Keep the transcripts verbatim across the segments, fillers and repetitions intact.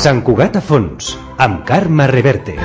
Sant Cugat a fons, amb Carme Reverte.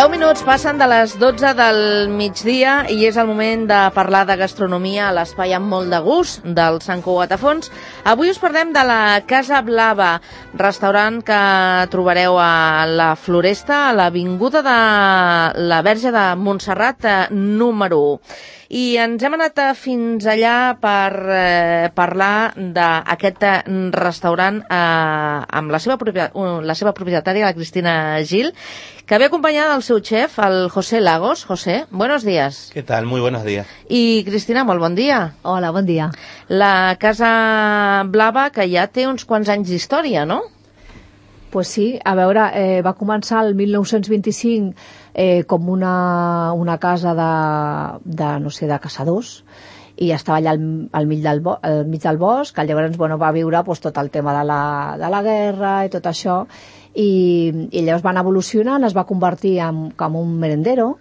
deu minuts passen de les dotze del migdia i és el moment de parlar de gastronomia a l'espai amb molt de gust del Sant Cugat a fons. Avui us parlem de la Casa Blava, restaurant que trobareu a la Floresta, a l'avinguda de la Verge de Montserrat número u. I ens hem anat fins allà per eh, parlar d'aquest restaurant eh, amb la seva, la seva propietària, la Cristina Gil, que ve acompanyada del seu xef, el José Lagos. José, buenos días. ¿Qué tal? Muy buenos días. I Cristina, molt bon dia. Hola, bon dia. La Casa Blava, que ja té uns quants anys d'història, no? Pues sí, a veure, eh, va començar el mil nou-cents vint-i-cinc eh, com una, una casa de, de, no sé, de caçadors, i estava allà al, al, mig del bo, al mig del bosc, que llavors bueno, va viure pues, tot el tema de la, de la guerra i tot això, i, i llavors van evolucionant, es va convertir en, com un merendero,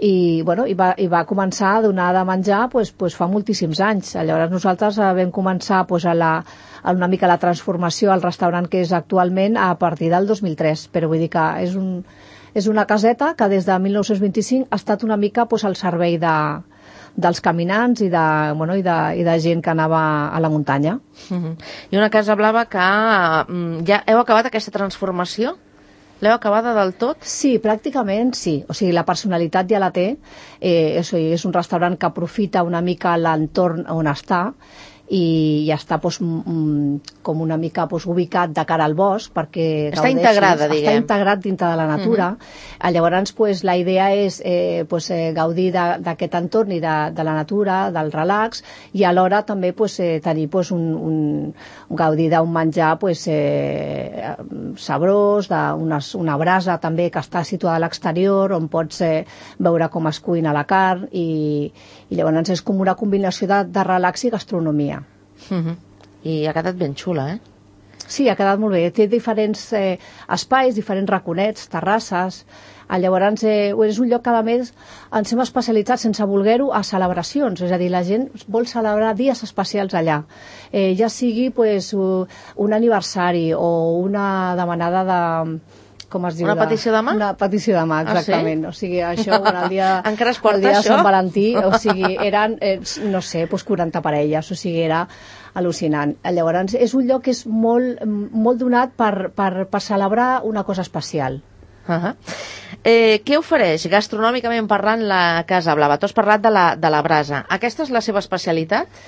i, bueno, i, va, i va començar a donar de menjar pues, pues, fa moltíssims anys. Llavors nosaltres vam començar pues, a, la, a una mica la transformació al restaurant que és actualment a partir del dos mil tres, però vull dir que és, un, és una caseta que des de mil nou-cents vint-i-cinc ha estat una mica pues, al servei de, dels caminants i de, bueno, i, de, i de gent que anava a la muntanya. Uh-huh. I una Casa Blava que ja heu acabat aquesta transformació? L'heu acabada del tot? Sí, pràcticament sí. O sigui, la personalitat ja la té. Eh, és, és un restaurant que aprofita una mica l'entorn on està i ja està pues, mm, com una mica pues, ubicat de cara al bosc perquè està gaudeixis, integrada, diguem. Està integrat dintre de la natura. Uh-huh. Llavors pues, la idea és eh, pues, eh, gaudir d'aquest entorn i de, de la natura, del relax, i alhora també pues, eh, tenir pues, un, un, un gaudir d'un menjar pues, eh, sabrós, d'una una brasa també que està situada a l'exterior on pots eh, veure com es cuina la carn i, i llavors és com una combinació de, de relax i gastronomia. Uh-huh. I ha quedat ben xula, eh? Sí, ha quedat molt bé. Té diferents eh, espais, diferents raconets, terrasses. Llavors eh, és un lloc que a més ens hem especialitzat sense voler-ho a celebracions, és a dir, la gent vol celebrar dies especials allà, eh, ja sigui pues, un aniversari o una demanada de... com es diu? Una petició de mà? Una petició de mà, exactament. Ah, sí? O sigui, això, el dia, encara es porta, el dia de això? Sant Valentí, o sigui, eren, eh, no sé, pues quaranta parelles, o sigui, era al·lucinant. Llavors, és un lloc que és molt, molt donat per, per, per celebrar una cosa especial. Uh-huh. Eh, què ofereix gastronòmicament parlant la Casa Blava? Tu has parlat de la, de la brasa. Aquesta és la seva especialitat?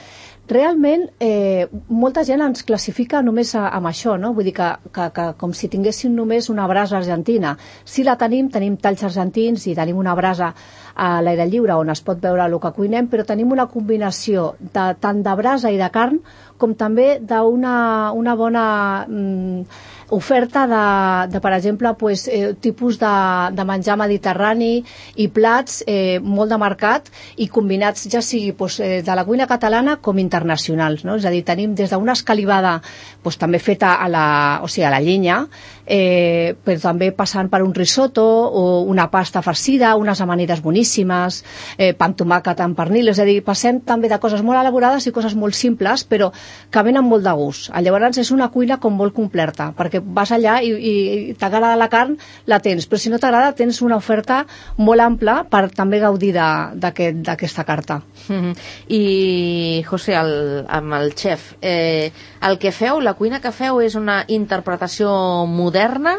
Realment, eh, molta gent ens classifica només a, amb això, no? Vull dir que, que, que com si tinguéssim només una brasa argentina. Si la tenim, tenim talls argentins i tenim una brasa a l'aire lliure on es pot veure el que cuinem, però tenim una combinació de, tant de brasa i de carn com també d'una una bona mm, oferta de, de, per exemple, pues, eh, tipus de, de menjar mediterrani i plats eh, molt de mercat i combinats ja sigui pues, eh, de la cuina catalana com internacionals, no? És a dir, tenim des d'una escalivada pues, també feta a la, o sigui, a la llenya, eh, però també passant per un risotto o una pasta farcida, unes amanides boníssimes, eh, pa amb tomàquet amb pernil, és a dir, passem també de coses molt elaborades i coses molt simples, però que venen molt de gust. Llavors és una cuina com molt completa, perquè vas allà i, i, i t'agrada la carn, la tens, però si no t'agrada tens una oferta molt ampla per també gaudir d'aquesta aquest, carta. Mm-hmm. I, José, el, amb el xef, eh, el que feu, la cuina que feu és una interpretació moderna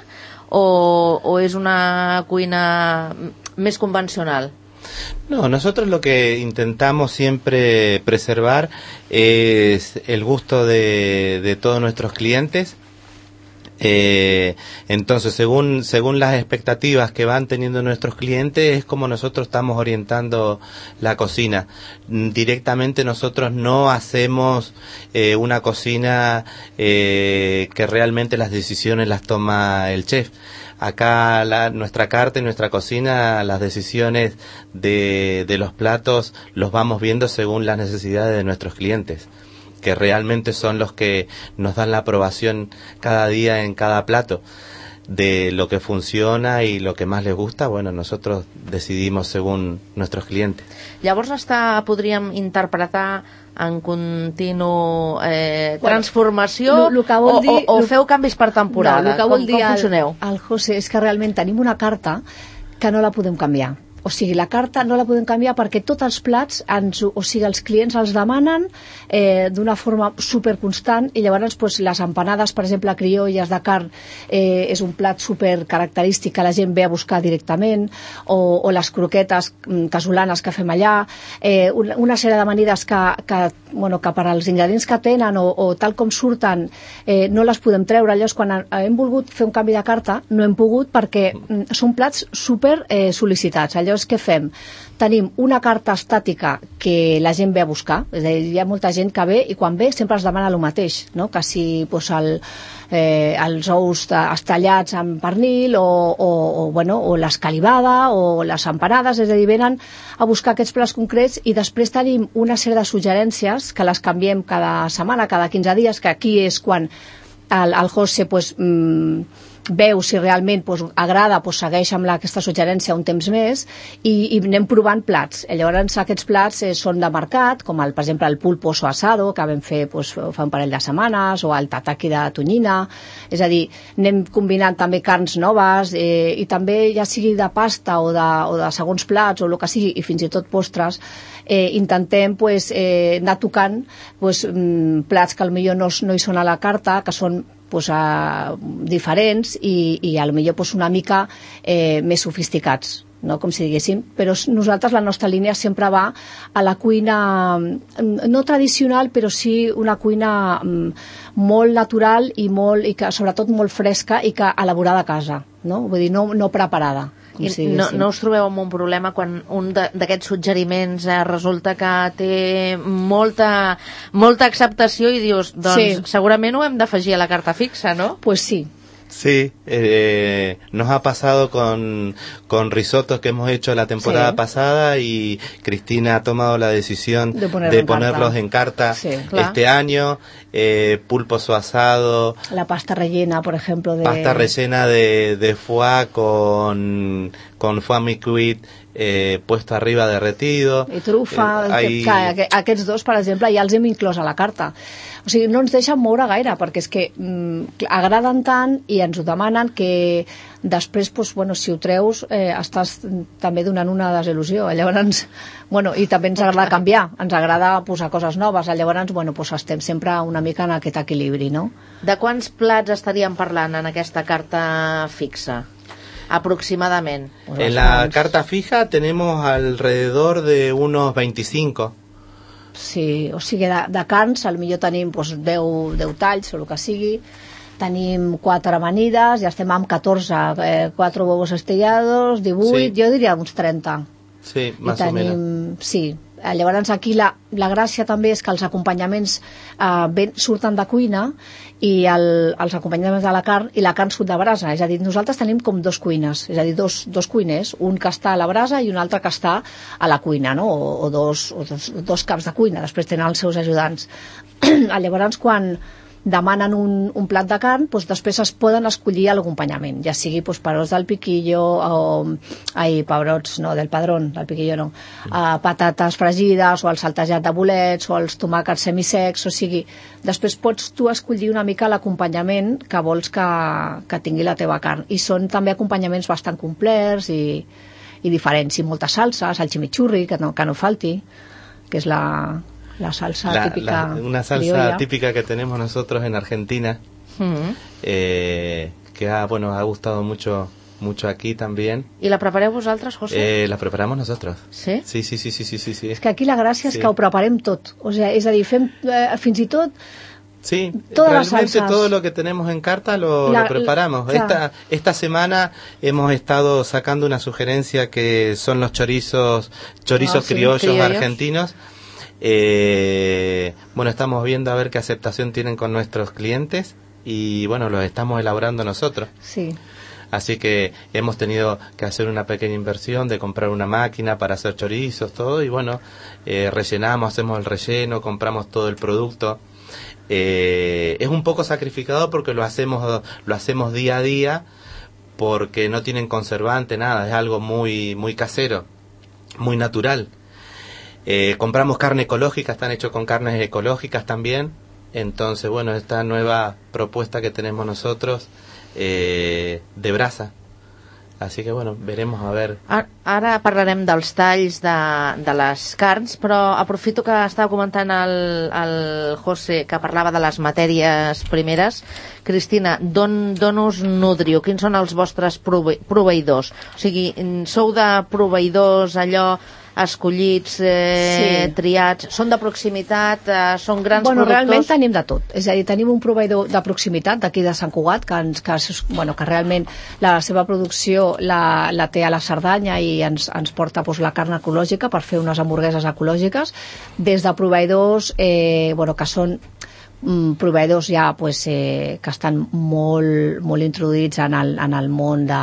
o, o és una cuina més convencional? No, nosotros lo que intentamos siempre preservar es el gusto de, de todos nuestros clientes. Eh, entonces, según según las expectativas que van teniendo nuestros clientes, es como nosotros estamos orientando la cocina. Directamente nosotros no hacemos eh, una cocina eh, que realmente las decisiones las toma el chef. Acá la, nuestra carta y nuestra cocina, las decisiones de, de los platos los vamos viendo según las necesidades de nuestros clientes, que realmente son los que nos dan la aprobación cada día en cada plato de lo que funciona y lo que más les gusta. Bueno, nosotros decidimos según nuestros clientes. Llavors està, podríem interpretar en continu eh, transformació lo, lo o, dir, o, o lo, feu canvis per temporada? No, el que com, vol dir com funcioneu? El, el José és que realment tenim una carta que no la podem canviar. O sigui, la carta no la podem canviar perquè tots els plats, ens, o sigui, els clients els demanen eh, d'una forma superconstant i llavors pues, les empanades, per exemple, criolles de carn, eh, és un plat super característic que la gent ve a buscar directament, o, o les croquetes casolanes que fem allà, eh, una, una sèrie d'amanides que, que, bueno, que per als ingredients que tenen o, o tal com surten eh, no les podem treure. Llavors, quan hem volgut fer un canvi de carta, no hem pogut perquè mm, són plats super eh, sol·licitats. Llavors, què fem? Tenim una carta estàtica que la gent ve a buscar, és a dir, hi ha molta gent que ve i quan ve sempre es demana el mateix, no? Que si pues, el, eh, els ous estallats amb pernil o, o, o, bueno, o l'escalivada o les empanades, és a dir, venen a buscar aquests plats concrets i després tenim una sèrie de suggerències que les canviem cada setmana, cada quinze dies, que aquí és quan el, el José pues, mmm, veu si realment pues, agrada, pues, segueix amb la, aquesta suggerència un temps més i, i anem provant plats. Llavors aquests plats eh, són de mercat, com el, per exemple el pulpo o asado, que vam fer pues, fa un parell de setmanes, o el tataki de tonyina, és a dir, anem combinant també carns noves eh, i també ja sigui de pasta o de, o de segons plats o el que sigui, i fins i tot postres, eh, intentem pues, eh, anar tocant pues, mm, plats que potser no, no hi són a la carta, que són pues, uh, diferents i, i a lo millor pues, una mica eh, més sofisticats, no? Com si diguéssim, però nosaltres la nostra línia sempre va a la cuina no tradicional, però sí una cuina um, molt natural i, molt, i que, sobretot molt fresca i que elaborada a casa, no? Vull dir, no, no preparada. I no, no us trobeu amb un problema quan un d'aquests suggeriments eh, resulta que té molta, molta acceptació i dius, doncs sí, segurament ho hem d'afegir a la carta fixa, no? Pues sí. Sí, eh, nos ha pasado con, con risotos que hemos hecho la temporada sí. pasada y Cristina ha tomado la decisión de, poner de en ponerlos carta. en carta sí, este año, eh, pulpo su asado. La pasta rellena, por ejemplo. De... Pasta rellena de, de foie con, con foie mi-cuit eh, puesto arriba derretido. I trufa, eh, hay... que, que, aquests dos, per exemple, ja els hem inclòs a la carta. O sigui, no ens deixen moure gaire, perquè és que mm, agraden tant i ens ho demanen que després, pues, bueno, si ho treus, eh, estàs també donant una desil·lusió. Llavors, bueno, i també ens agrada canviar, ens agrada posar coses noves. Llavors, bueno, pues, estem sempre una mica en aquest equilibri, no? De quants plats estaríem parlant en aquesta carta fixa? Aproximadamente. En la carta fija tenemos alrededor de unos veinticinco. Sí, o sigui, de, de carns, potser tenim pues, deu, deu talls o el que sigui, tenim quatre amanides, ja estem amb catorze, eh, quatre huevos estellados, divuit, sí. Jo diria uns trenta. Sí, más tenim, o menos. Sí, Eh, llavors aquí la, la gràcia també és que els acompanyaments eh, ben, surten de cuina i el, els acompanyaments de la carn i la carn surt de brasa, és a dir, nosaltres tenim com dos cuines, és a dir, dos, dos cuiners, un que està a la brasa i un altre que està a la cuina, no? o, o, dos, o dos, dos caps de cuina, després tenen els seus ajudants. Llavors quan demanen un, un plat de carn, doncs després es poden escollir l'acompanyament, ja sigui doncs, perots del piquillo o ai, pebrots, no, del padrón, del piquillo no, uh, patates fregides o el saltejat de bolets o els tomàquets semisecs, o sigui, després pots tu escollir una mica l'acompanyament que vols que, que tingui la teva carn, i són també acompanyaments bastant complets i, i diferents, i moltes salses, el chimichurri, que no, que no falti, que és la... la salsa la, típica la, una salsa criolla. Típica que tenemos nosotros en Argentina, mm. eh, que ha, bueno, ha gustado mucho mucho aquí también. ¿Y la prepareu vosaltres, José? Eh, la preparamos nosotros. ¿Sí? Sí, sí, sí, sí, sí, sí, sí. És que aquí la gràcia sí. és que ho preparem tot, o sea, és a dir, fem eh, fins i tot sí, todas realmente todo lo que tenemos en carta lo, la, lo preparamos. La, esta, esta semana hemos estado sacando una sugerencia que son los chorizos, chorizos oh, sí, criollos, criollos argentinos. Eh, bueno, estamos viendo a ver qué aceptación tienen con nuestros clientes y bueno, los estamos elaborando nosotros. Sí. Así que hemos tenido que hacer una pequeña inversión de comprar una máquina para hacer chorizos, todo, y bueno, eh, rellenamos, hacemos el relleno, compramos todo el producto. Eh, es un poco sacrificado porque lo hacemos, lo hacemos día a día, porque no tienen conservante, nada, es algo muy, muy casero, muy natural. Eh, compramos carne ecológica, están hechos con carnes ecológicas también. Entonces, bueno, esta nueva propuesta que tenemos nosotros eh, de brasa. Así que, bueno, veremos a ver. Ara parlarem dels talls de, de les carns, però aprofito que estava comentant el, el José, que parlava de les matèries primeres. Cristina, d'on us nodriu? Quins són els vostres prove proveïdors? O sigui, sou de proveïdors allò escollits, eh, sí. triats, són de proximitat, eh, són grans bueno, productors? Realment tenim de tot, és a dir, tenim un proveïdor de proximitat d'aquí de Sant Cugat, que, ens, que, bueno, que realment la seva producció la, la té a la Cerdanya i ens, ens porta doncs, la carn ecològica per fer unes hamburgueses ecològiques, des de proveïdors eh, bueno, que són mm, proveïdors ja pues, eh, que estan molt, molt introduïts en el, en el món de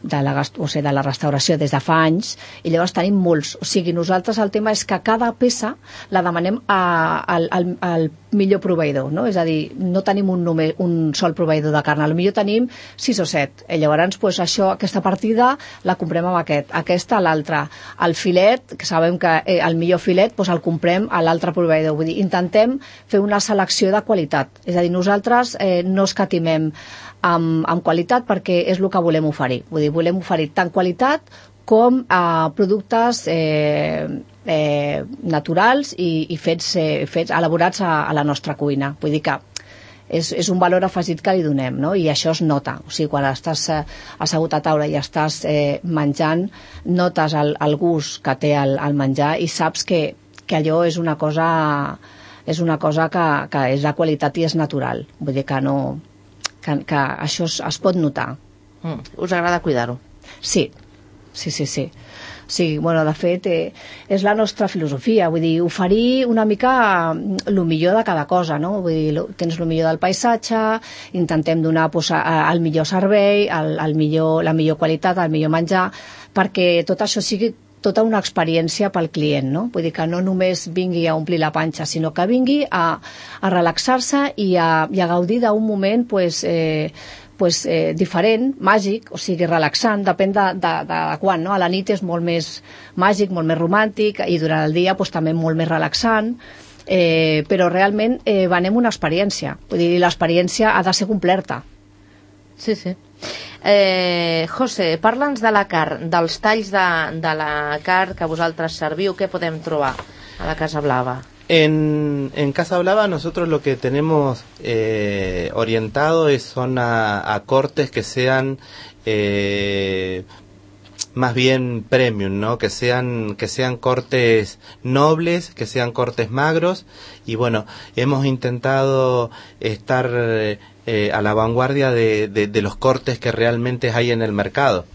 de la, o sigui, de la restauració des de fa anys, i llavors tenim molts, o sigui, nosaltres el tema és que cada peça la demanem a, al, al, al millor proveïdor, no? És a dir, no tenim un, només, un sol proveïdor de carn, potser tenim sis o set, i llavors pues, això, aquesta partida la comprem amb aquest, aquesta a l'altra, el filet, que sabem que eh, el millor filet pues, el comprem a l'altre proveïdor, vull dir, intentem fer una selecció de qualitat, és a dir, nosaltres eh, no escatimem amb, amb qualitat perquè és el que volem oferir, vull dir, volem oferir tant qualitat com eh, productes eh, eh, naturals i, i fets, eh, fets elaborats a, a la nostra cuina, vull dir que és, és un valor afegit que li donem, no? I això es nota, o sigui, quan estàs eh, assegut a taula i estàs eh, menjant, notes el, el gust que té el, el menjar i saps que, que allò és una cosa és una cosa que, que és de qualitat i és natural, vull dir que no Que, que això es, es pot notar. Mm. Us agrada cuidar-ho? Sí, sí, sí, sí. Sí, bueno, de fet, eh, és la nostra filosofia, vull dir, oferir una mica el millor de cada cosa, no? Vull dir, tens el millor del paisatge, intentem donar pues, el millor servei, el, el millor, la millor qualitat, el millor menjar, perquè tot això sigui tota una experiència pel client, no? Vull dir que no només vingui a omplir la panxa, sinó que vingui a, a relaxar-se i, a, i a gaudir d'un moment pues, eh, pues, eh, diferent, màgic, o sigui, relaxant, depèn de, de, de quan, no? A la nit és molt més màgic, molt més romàntic, i durant el dia pues, també molt més relaxant, eh, però realment eh, venem una experiència, vull dir, l'experiència ha de ser completa. Sí, sí. Eh, José, parla'ns de la carn, dels talls de, de la carn que vosaltres serviu, què podem trobar a la Casa Blava? En, en Casa Blava nosotros lo que tenemos eh, orientado es, son a, a cortes que sean eh, más bien premium, ¿no? Que sean, que sean cortes nobles, que sean cortes magros, y bueno, hemos intentado estar eh, a la vanguardia de, de, de los cortes que realmente hay en el mercado.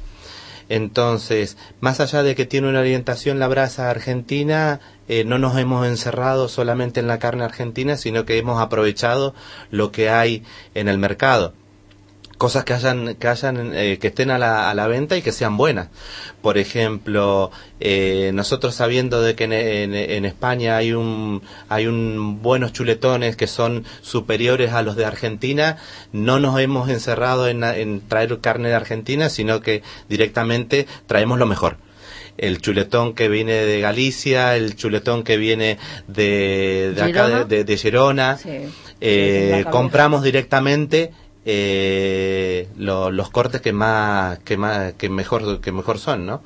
Entonces, más allá de que tiene una orientación la brasa argentina, eh, no nos hemos encerrado solamente en la carne argentina, sino que hemos aprovechado lo que hay en el mercado. Cosas que hayan, que hayan, eh, que estén a la, a la venta y que sean buenas. Por ejemplo, eh, nosotros sabiendo de que en, en, en España hay un, hay un buenos chuletones que son superiores a los de Argentina, no nos hemos encerrado en, en traer carne de Argentina, sino que directamente traemos lo mejor. El chuletón que viene de Galicia, el chuletón que viene de, de acá de, de, de Gerona, sí. eh, sí, compramos directamente Eh, lo, los cortes que más que más que mejor que mejor son, ¿no?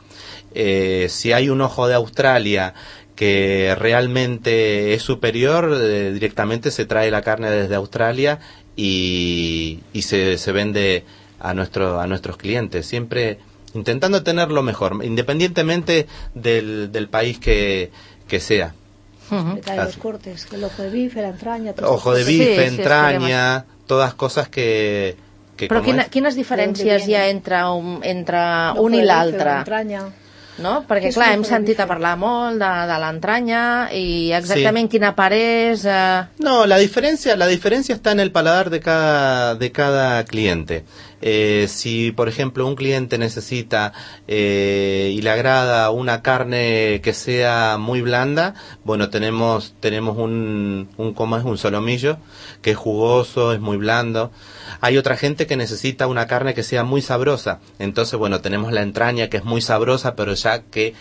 Eh, si hay un ojo de Australia que realmente es superior, eh, directamente se trae la carne desde Australia y, y se, se vende a nuestro a nuestros clientes, siempre intentando tener lo mejor, independientemente del, del país que, que sea. Uh-huh. Los cortes, el ojo de bife, la entraña, ojo de bife, sí, entraña, sí, todas cosas que... que Però quina, quines diferències hi ha entre un, entre un i l'altre? No? Perquè, clar, hem sentit a parlar molt de, de l'entranya i exactament sí. Quina part és... Eh... No, la diferencia, la diferencia está en el paladar de cada, de cada cliente. Eh, si, por ejemplo, un cliente necesita eh, y le agrada una carne que sea muy blanda, bueno, tenemos tenemos un, un ¿cómo es? Un solomillo, que es jugoso, es muy blando. Hay otra gente que necesita una carne que sea muy sabrosa. Entonces, bueno, tenemos la entraña, que es muy sabrosa, pero ya que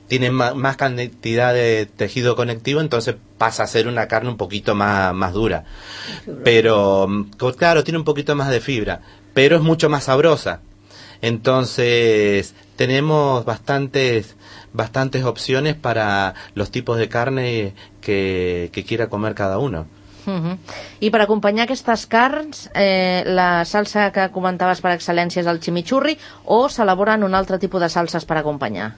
tiene más, más cantidad de tejido conectivo, entonces pasa a ser una carne un poquito más, más dura. Pero, claro, tiene un poquito más de fibra, pero es mucho más sabrosa. Entonces, tenemos bastantes bastantes opciones para los tipos de carne que, que quiera comer cada uno. Uh-huh. I per acompanyar aquestes carns, eh, la salsa que comentaves per excel·lència és el chimichurri, o s'elaboren un altre tipus de salses per acompanyar?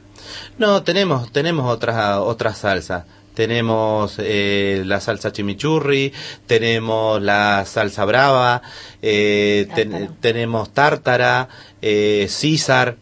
No, tenemos tenemos otras otras salsas. Tenemos eh, la salsa chimichurri, tenemos la salsa brava, eh, ten, tenemos tártara, eh, César.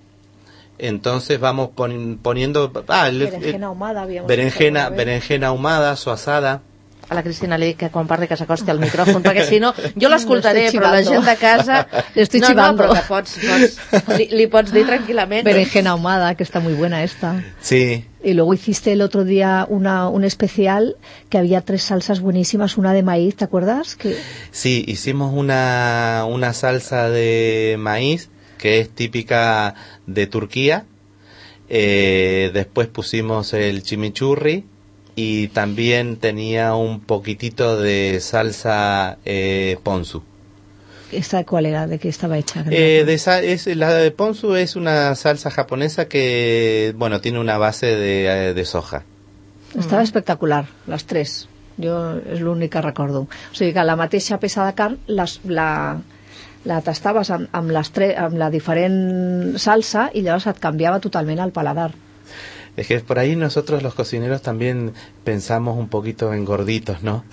Entonces vamos pon, poniendo ah, el, berenjena ahumada, berenjena, berenjena ahumada, su asada. A la Cristina li dic que quan parli que s'acosti al micròfon, perquè si no, jo l'escoltaré, no però la gent de casa... Estoy no, chivando. No, però que pots, pots, li, li pots dir tranquil·lament. Berenjena ahumada, que está muy buena esta. Sí. Y luego hiciste el otro día una, un especial que había tres salsas buenísimas, una de maíz, ¿te acuerdas? Que... Sí, hicimos una, una salsa de maíz que es típica de Turquía. Eh, después pusimos el chimichurri. Y también tenía un poquitito de salsa eh, ponzu. ¿Esta cuál era? ¿De qué estaba hecha? Eh, de esa, es, la de ponzu es una salsa japonesa que, bueno, tiene una base de, de soja. Estava espectacular, les tres. Jo és l'únic que recordo. O sigui que la mateixa peça de carn les, la, la tastaves amb, amb, les tre, amb la diferent salsa i llavors et canviava totalment el paladar. Es que por ahí nosotros los cocineros también pensamos un poquito en gorditos, ¿no?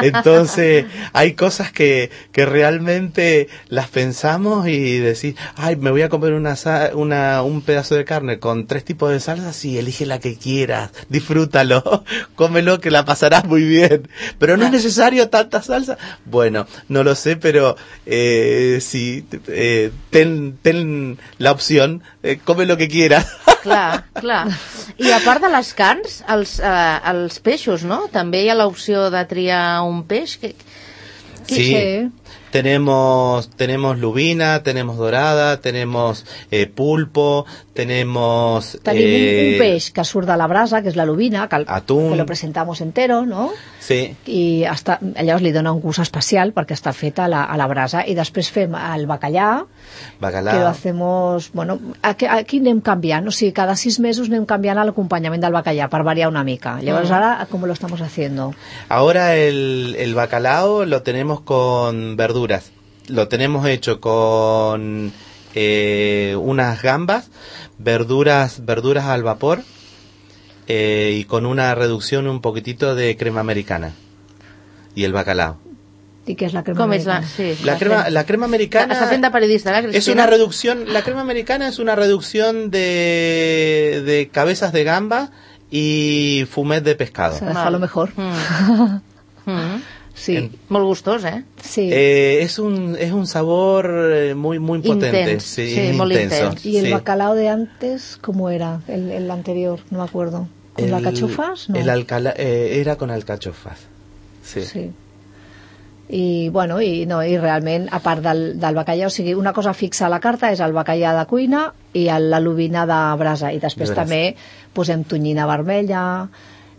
Entonces hay cosas que, que realmente las pensamos y decís, ay, me voy a comer una, una un pedazo de carne con tres tipos de salsas y elige la que quieras, disfrútalo, cómelo que la pasarás muy bien. Pero no es necesario tanta salsa. Bueno, no lo sé, pero eh, sí, eh, ten, ten la opción, eh, come lo que quieras. Clar, clar. I a part de les carns, els, eh, els peixos, ¿no? També hi ha l'opció de triar un peix. Que, que... Sí, tenemos, tenemos lubina, tenemos dorada, tenemos eh, pulpo, tenemos... Tenim eh, un peix que surt de la brasa, que és la lubina, que, el, atún. Que lo presentamos entero, ¿no? Sí. I està, llavors li dona un gust especial perquè està fet a la, a la brasa. I després fem el bacallà, Bacalao. que lo hacemos... Bueno, aquí, aquí anem canviant, o sigui, cada sis mesos anem canviant l'acompanyament del bacallà per variar una mica. Llavors, ara, ¿cómo lo estamos haciendo? Ahora el, el bacalao lo tenemos con verduras. Lo tenemos hecho con eh, unas gambas, verduras, verduras al vapor eh, y con una reducción un poquitito de crema americana. Y el bacalao. ¿Y qué es la crema Com americana? és la, sí, la, crema, la crema americana està fent de periodista, la Cristina. Es una reducción, la crema americana es una reducción de, de cabezas de gamba y fumet de pescado. Se fa lo mejor. Mm. Mm. Sí. En- Molt gustós, eh? Sí. Eh, es un es un sabor eh, muy muy potente, Intens, sí, sí, es muy intenso. intens. ¿Y el sí. bacalao de antes cómo era? El, el anterior, no me acuerdo. ¿Con El- alcachofas? No. El alcala, eh, era con alcachofas. Sí. Sí. I, bueno, i, no, i realment, a part del, del bacallà, o sigui, una cosa fixa a la carta és el bacallà de cuina i el- la lubina de brasa, i després De brasa. també posem tonyina vermella,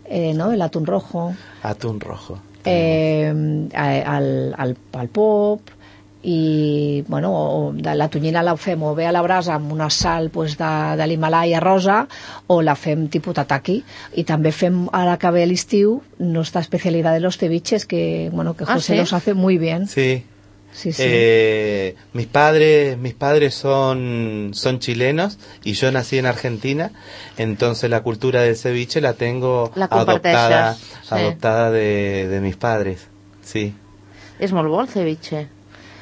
eh, no? l'atún rojo, Atún rojo. eh, el, el, el pop, i bueno, o de la tonyina la fem o bé a la brasa amb una sal pues, de, de l'Himalaya rosa, o la fem tipus tataki, i també fem, ara que ve l'estiu, nuestra especialidad de los ceviches, que, bueno, que Ah, José ¿sí? los hace muy bien. Sí. Sí, sí. Eh, mis padres mis padres son son chilenos y yo nací en Argentina, entonces la cultura del ceviche la tengo La adoptada comparteixes, sí. adoptada de, de mis padres. Sí. És molt bo el ceviche.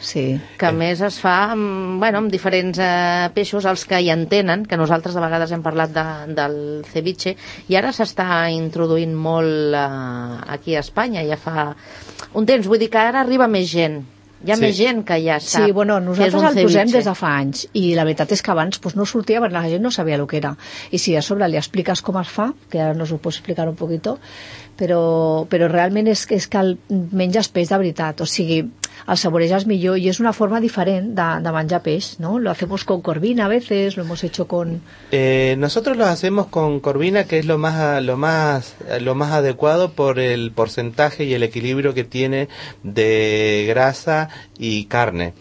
Sí. Que a més es fa amb, bueno, amb diferents eh, peixos, els que hi entenen, que nosaltres de vegades hem parlat de, del ceviche, i ara s'està introduint molt eh, aquí a Espanya, ja fa un temps, vull dir que ara arriba més gent, hi ha Sí. més gent que ja sap Sí, bueno, que és nosaltres un el posem ceviche. des de fa anys, i la veritat és que abans pues, no sortia perquè la gent no sabia el que era, i si a sobre li expliques com es fa, que ara nos ho pots explicar un poquito, però, però realment és, és que el menges peix de veritat, o sigui, el saborejas millor, i és una forma diferent de, de menjar peix, ¿no? Lo hacemos con corvina a veces, lo hemos hecho con... Eh, nosotros lo hacemos con corvina, que es lo más lo más lo más adecuado por el porcentaje y el equilibrio que tiene de grasa y carne.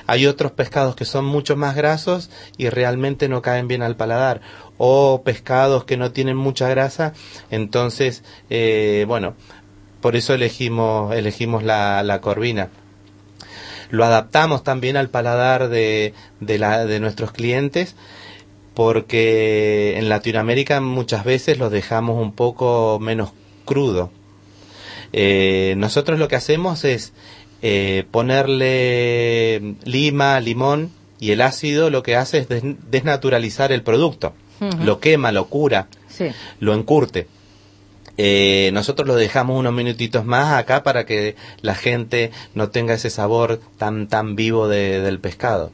Hay otros pescados que son mucho más grasos y realmente no caen bien al paladar, o pescados que no tienen mucha grasa, entonces eh, bueno, por eso elegimos elegimos la, la corvina. Lo adaptamos también al paladar de, de, la, de nuestros clientes, porque en Latinoamérica muchas veces los dejamos un poco menos crudo. Eh, nosotros lo que hacemos es eh, ponerle lima, limón, y el ácido lo que hace es des- desnaturalizar el producto. Ujú. Lo quema, lo cura, Sí. lo encurte. Eh, nosotros lo dejamos unos minutitos más acá para que la gente no tenga ese sabor tan tan vivo de, del pescado.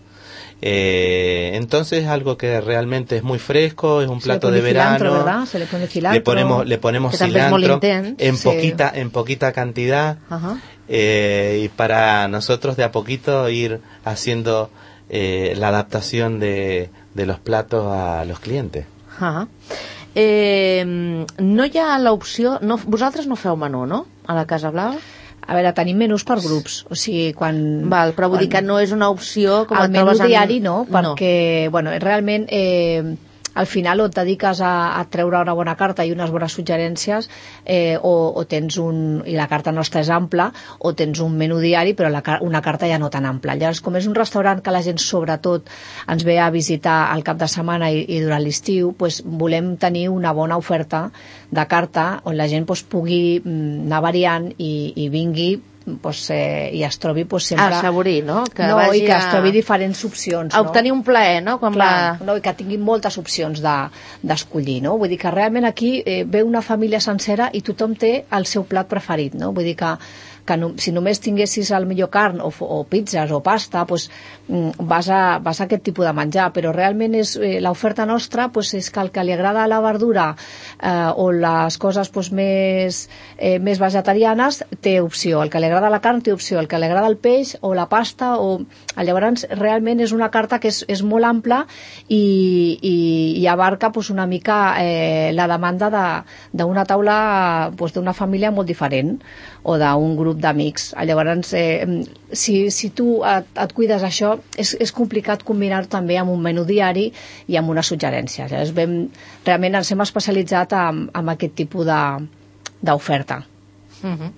Eh, entonces es algo que realmente es muy fresco, es un Se le plato pone de cilantro, verano. ¿verdad? Se le pone cilantro. Le ponemos le ponemos Que també és molt cilantro intens. en Sí. poquita en poquita cantidad, Ajá. eh, y para nosotros de a poquito ir haciendo eh, la adaptación de, de los platos a los clientes. Ah. Eh, no hi ha l'opció... No, vosaltres no feu menú, no? A la Casa Blava? A veure, tenim menús per grups, o sigui, quan... Val, però vull quan... dir que no és una opció com el et menú trobes en... diari no, perquè bueno, realment eh, al final o et dediques a, a treure una bona carta i unes bones suggerències, eh, o, o tens un... i la carta nostra és ampla, o tens un menú diari però la, una carta ja no tan ampla. Llavors, com és un restaurant que la gent sobretot ens ve a visitar al cap de setmana i, i durant l'estiu, pues, volem tenir una bona oferta de carta on la gent pues, pugui mm, anar variant i, i vingui pues, eh, i es trobi pues, sempre... A assaborir, no? Que no, vagi i que a... es trobi diferents opcions. A obtenir un plaer, no? Quan Clar, va... no, i que tinguin moltes opcions de, d'escollir, no? Vull dir que realment aquí eh, ve una família sencera i tothom té el seu plat preferit, no? Vull dir que, que no, si només tinguessis el millor carn o, o pizzas o pasta, pues, vas, a, vas a aquest tipus de menjar, però realment és eh, l'oferta nostra pues, és que el que li agrada la verdura eh, o les coses pues, més, eh, més vegetarianes té opció, el que li agrada la carn té opció, el que li agrada el peix o la pasta, o... llavors realment és una carta que és, és molt ampla i, i, i abarca pues, una mica eh, la demanda d'una de, taula pues, d'una família molt diferent o d'un grup d'amics. Llavors, eh, si, si tu et, et cuides això, és, és complicat combinar també amb un menú diari i amb una suggerència. Llavors, vam, realment ens hem especialitzat en, en aquest tipus de, d'oferta. Uh-huh.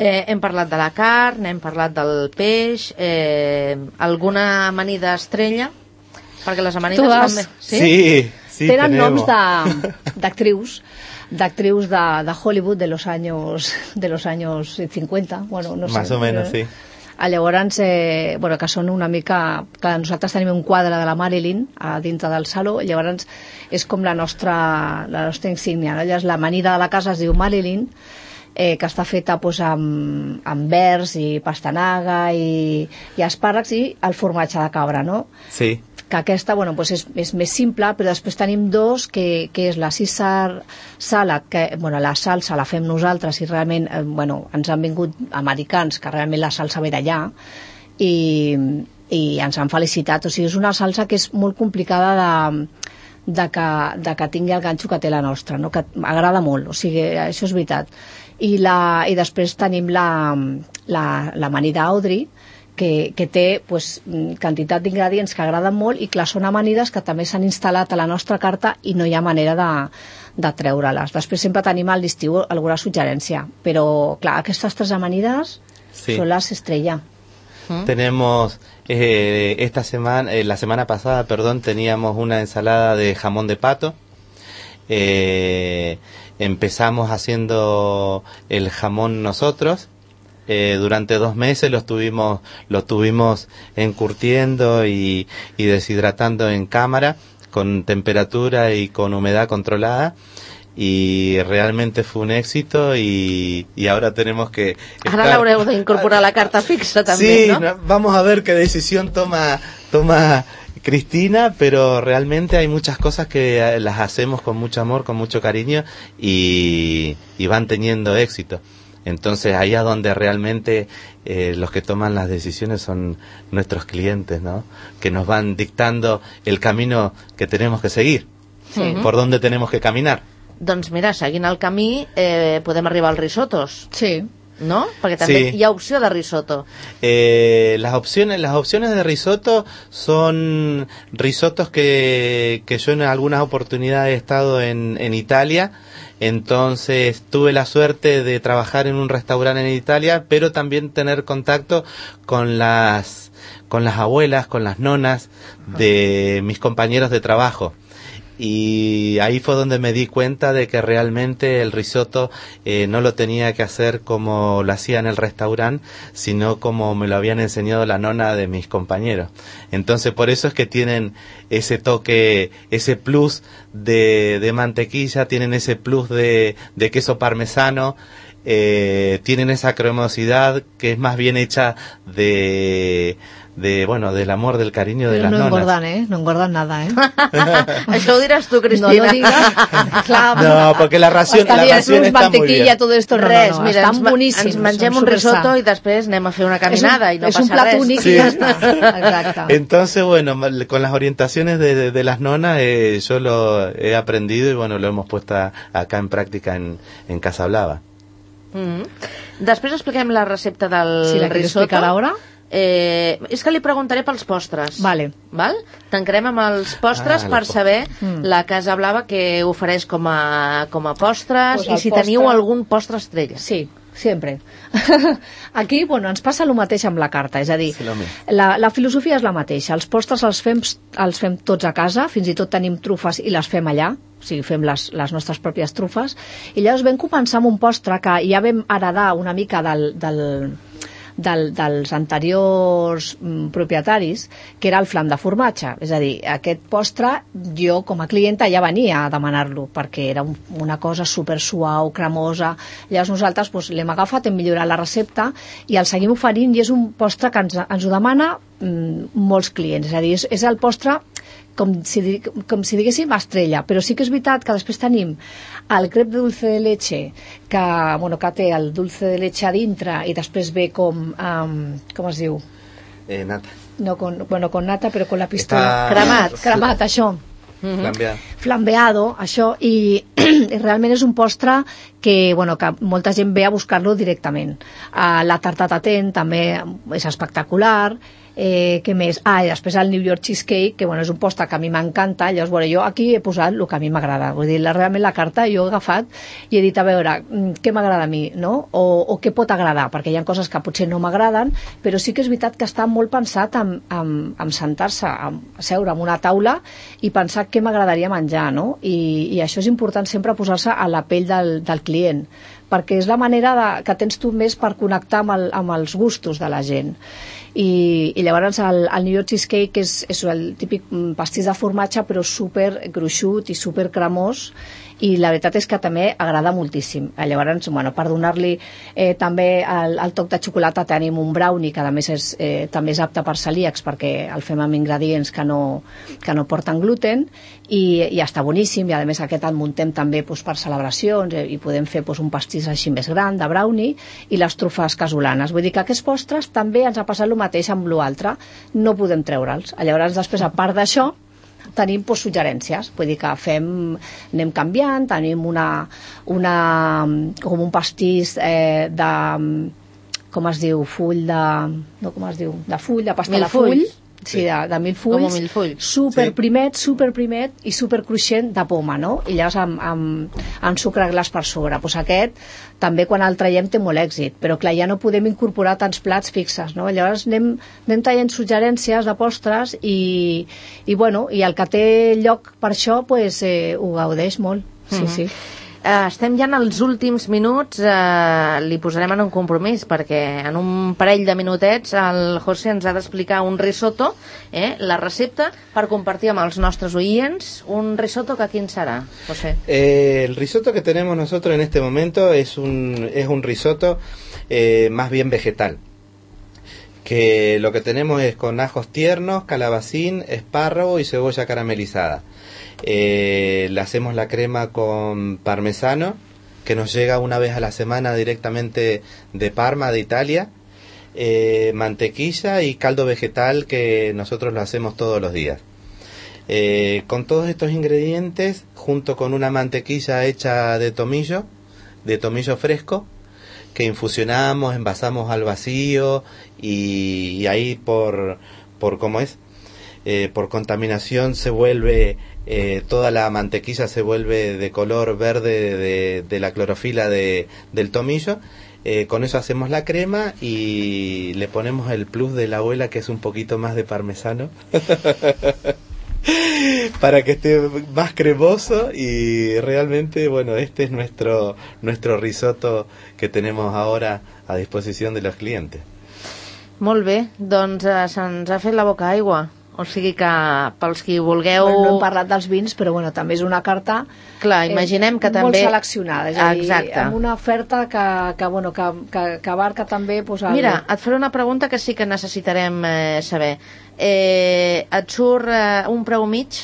Eh, hem parlat de la carn, hem parlat del peix, eh, alguna amanida estrella? Perquè les amanides Todas. van bé. Sí, sí, sí Tenen tenemos. noms de, d'actrius, d'actrius de, de Hollywood de los años de los años cincuenta, bueno, no sé. Más o menos, sí. Llavors, eh, bueno, que són una mica... Clar, nosaltres tenim un quadre de la Marilyn a dintre del saló, llavors és com la nostra, la nostra insígnia, no? Llavors, l'amanida de la casa es diu Marilyn, eh, que està feta pues, amb, amb verds i pastanaga i, i espàrrecs i el formatge de cabra, no? Sí. Que aquesta, bueno, pues és, és més simple, però després tenim dos, que, que és la Caesar salad, que, bueno, la salsa la fem nosaltres i realment, eh, bueno, ens han vingut americans, que realment la salsa ve d'allà, i, i ens han felicitat. O sigui, és una salsa que és molt complicada de, de, que, de que tingui el ganxo que té la nostra, no? Que agrada molt, o sigui, això és veritat. I, la, i després tenim la, la, l'amanida Audrey, que, que té pues, quantitat d'ingredients que agraden molt i que són amanides que també s'han instal·lat a la nostra carta i no hi ha manera de, de treure-les. Després sempre tenim al l'estiu alguna suggerència, però clar, aquestes tres amanides sí. Son las estrella. ¿Mm? Tenemos eh, esta semana, eh, la semana pasada, perdón, teníamos una ensalada de jamón de pato. Eh, empezamos haciendo el jamón nosotros. Eh, durante dos meses lo estuvimos, lo estuvimos encurtiendo y, y deshidratando en cámara con temperatura y con humedad controlada y realmente fue un éxito y, y ahora tenemos que ahora la haureu d'incorporar a la carta fixa també, sí, ¿no? no, vamos a ver qué decisión toma toma Cristina, pero realmente hay muchas cosas que las hacemos con mucho amor, con mucho cariño y, y van teniendo éxito. Entonces ahí es donde realmente eh, los que toman las decisiones son nuestros clientes, ¿no? Que nos van dictando el camino que tenemos que seguir, sí. Por dónde tenemos que caminar. Doncs mira, seguint el camí eh, podem arribar als risotos. Sí. ¿No? Porque también sí. Hi ha opció de risotto. Eh, las opciones, las opciones de risotto son risotos que, que yo en algunas oportunidades he estado en, en Italia. Entonces tuve la suerte de trabajar en un restaurante en Italia, pero también tener contacto con las con las abuelas, con las nonas de mis compañeros de trabajo. Y ahí fue donde me di cuenta de que realmente el risotto eh, no lo tenía que hacer como lo hacía en el restaurante, sino como me lo habían enseñado la nona de mis compañeros. Entonces por eso es que tienen ese toque, ese plus de, de mantequilla, tienen ese plus de, de queso parmesano, eh, tienen esa cremosidad que es más bien hecha de... de, bueno, del amor, del cariño de Pero las no nonas. engordan, ¿eh? No engordan nada, ¿eh? Això ho diràs tu, Cristina. No lo digas. Clar, no, porque la ración, la ración está muy bien. Todo esto, no, res, no, no, mira, estan ens, boníssims. ens mengem un risotto i després anem a fer una caminada un, i no passa res. És un plat únic sí. i ja està. Exacte. Entonces, bueno, con las orientaciones de, de, de las nonas eh, yo lo he aprendido y bueno, lo hemos puesto a, acá en práctica en, en Casa Blava. Mm-hmm. Després expliquem la recepta del si la risotto. Explicar ara? Eh, és que li preguntaré pels postres. Vale. Val? Tancarem amb els postres ah, per po saber mm. la Casa Blava que ofereix com a, com a postres pues i si postre... teniu algun postre estrella. Sí, sempre. Aquí, bueno, ens passa el mateix amb la carta, és a dir, sí, la, la filosofia és la mateixa. Els postres els fem, els fem tots a casa, fins i tot tenim trufes i les fem allà, o sigui, fem les, les nostres pròpies trufes, i llavors vam començar amb un postre que ja vam heredar una mica del... del Del, dels anteriors mm, propietaris, que era el flam de formatge. És a dir, aquest postre jo com a clienta ja venia a demanar-lo perquè era un, una cosa super suau, cremosa. Llavors nosaltres doncs, l'hem agafat, hem millorat la recepta i el seguim oferint i és un postre que ens, ens ho demana mm, molts clients. És a dir, és, és el postre com si, com si diguéssim estrella, però sí que és veritat que després tenim el crep de dulce de leche que, bueno, que té el dulce de leche a dintre i després ve com um, com es diu? Eh, nata. No, con, bueno, con nata però con la pistola. Està... Cremat, cremat, això. Mm-hmm. Flambeado. Flambeado, això, i, i realment és un postre que, bueno, que molta gent ve a buscar-lo directament. Uh, la tarta tatent també és espectacular. Eh, què més? Ah, i després el New York Cheesecake, que bueno, és un postre que a mi m'encanta. Llavors, bueno, jo aquí he posat el que a mi m'agrada. Vull dir, la, realment la carta jo he agafat i he dit, a veure, què m'agrada a mi, no? O, o què pot agradar, perquè hi ha coses que potser no m'agraden, però sí que és veritat que està molt pensat en, en, en sentar-se, en seure en una taula i pensar què m'agradaria menjar, no? I, i això és important sempre posar-se a la pell del, del client, perquè és la manera de, que tens tu més per connectar amb, el, amb els gustos de la gent. I, i llavors el, el New York Cheesecake és, és el típic pastís de formatge però super gruixut i super cremós, i la veritat és que també agrada moltíssim. Llavors, bueno, per donar-li eh, també el, el toc de xocolata tenim un brownie que a més és, eh, també és apte per celíacs perquè el fem amb ingredients que no, que no porten gluten, i, i està boníssim, i a més aquest el muntem també doncs, per celebracions, eh, i podem fer doncs, un pastís així més gran de brownie, i les trufes casolanes. Vull dir que aquests postres també ens ha passat el mateix amb l'altre, no podem treure'ls. Llavors després, a part d'això, tenim pues, suggerències, vull dir que fem, anem canviant, tenim una, una com un pastís eh, de, com es diu, full de, no, com es diu, de full, de pasta de full, sí, de, de mil fulls, mil fulls. super sí. primet, super primet i super cruixent de poma, no? I llavors amb, amb, amb sucre glaç per sobre. Pues aquest també quan el traiem té molt èxit, però clar, ja no podem incorporar tants plats fixes, no? Llavors anem, anem traient suggerències de postres i, i bueno, i el que té lloc per això pues, eh, ho gaudeix molt, sí, mm-hmm. sí. Uh, estem ja en els últims minuts, uh, li posarem en un compromís perquè en un parell de minutets el José ens ha d'explicar un risotto, eh, la recepta per compartir amb els nostres oients. Un risotto que quin serà, José? Eh, el risotto que tenemos nosotros en este momento es un, es un risotto eh, más bien vegetal, que lo que tenemos es con ajos tiernos, calabacín, espárrago y cebolla caramelizada. Eh, le hacemos la crema con parmesano, que nos llega una vez a la semana directamente de Parma, de Italia, eh, mantequilla y caldo vegetal que nosotros lo hacemos todos los días. Eh, con todos estos ingredientes, junto con una mantequilla hecha de tomillo, de tomillo fresco, que infusionamos, envasamos al vacío y, y ahí por, por ¿cómo es? Eh, por contaminación se vuelve, eh, toda la mantequilla se vuelve de color verde de, de la clorofila de, del tomillo. Eh, con eso hacemos la crema y le ponemos el plus de la abuela, que es un poquito más de parmesano para que esté más cremoso. Y realmente, bueno, este es nuestro, nuestro risotto que tenemos ahora a disposición de los clientes. Molt bé, doncs eh, se'ns ha fet la boca aigua. O sigui que pels qui vulgueu... Bueno, no hem parlat dels vins, però bueno, també és una carta Clar, imaginem que eh, també... molt seleccionada, és a dir, Exacte. amb una oferta que, que, bueno, que, que, que abarca també... Pues, el... Mira, et faré una pregunta que sí que necessitarem eh, saber. Eh, et surt eh, un preu mig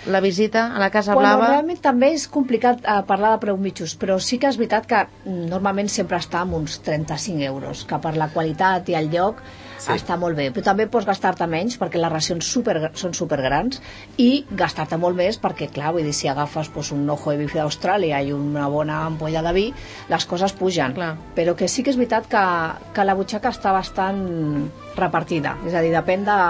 la visita a la Casa bueno, Blava? Realment també és complicat eh, parlar de preu mitjos, però sí que és veritat que normalment sempre està amb uns trenta-cinc euros, que per la qualitat i el lloc sí. està molt bé, però també pots gastar-te menys perquè les racions super, són supergrans, i gastar-te molt més perquè, clar, vull dir, si agafes pues, un ojo de bife d'Austràlia i una bona ampolla de vi, les coses pugen, clar. Però que sí que és veritat que, que la butxaca està bastant repartida, és a dir, depèn de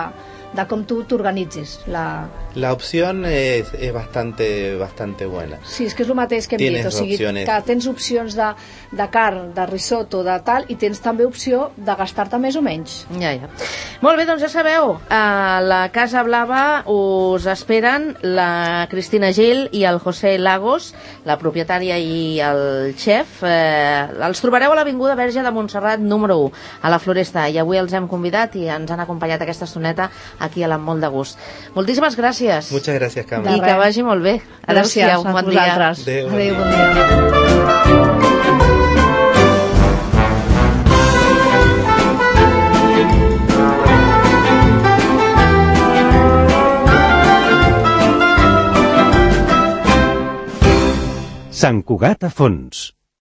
de com tu t'organitzis. La... la opción es, es bastante, bastante buena. Sí, és que és el mateix que hem tienes dit, o sigui, opciones. que tens opcions de, de carn, de risotto, de tal, i tens també opció de gastar-te més o menys. Ja, ja. Molt bé, doncs ja sabeu, a la Casa Blava us esperen la Cristina Gil i el José Lagos, la propietària i el xef. Eh, els trobareu a l'Avinguda Verge de Montserrat número u, a la Floresta, i avui els hem convidat i ens han acompanyat aquesta estoneta aquí a l'Amb molt de gust. Moltíssimes gràcies. Muchas gracias, Carme. I que vagi molt bé. Gràcies, bon a vosaltres. Adéu, bon Adéu, dia. bon dia. Sant Cugat a Fons.